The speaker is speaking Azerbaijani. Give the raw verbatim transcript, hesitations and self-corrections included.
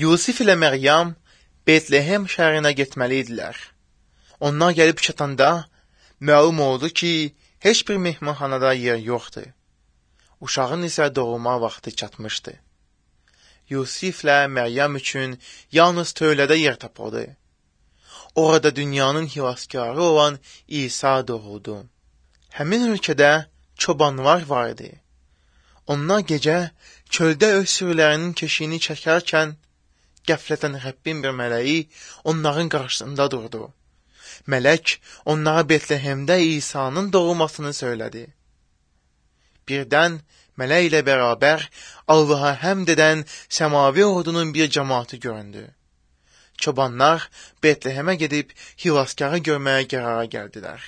Yusif ilə Məryəm Betlehem şəhərinə getməli idilər. Onlar gəlib çatanda məlum oldu ki, heç bir mehmanxanada yer yoxdur. Uşağın isə doğulma vaxtı çatmışdı. Yusiflə Məryəm üçün yalnız tövlədə yer tapıldı. Orada dünyanın xilaskarı olan İsa doğuldu. Həmin ölkədə çobanlar vardı. Onlar gecə çöldə öz sürülərinin keşiyini çəkərkən qəflətən Rəbbin bir mələyi onların qarşısında durdu. Mələk onlara Betlehemdə İsa'nın doğulmasını söylədi. Birdən mələk ilə bərabər Allaha həmd edən səmavi ordunun bir cəmaatı göründü. Çobanlar Betlehemə gedib xilaskarı görməyə qərara gəldilər.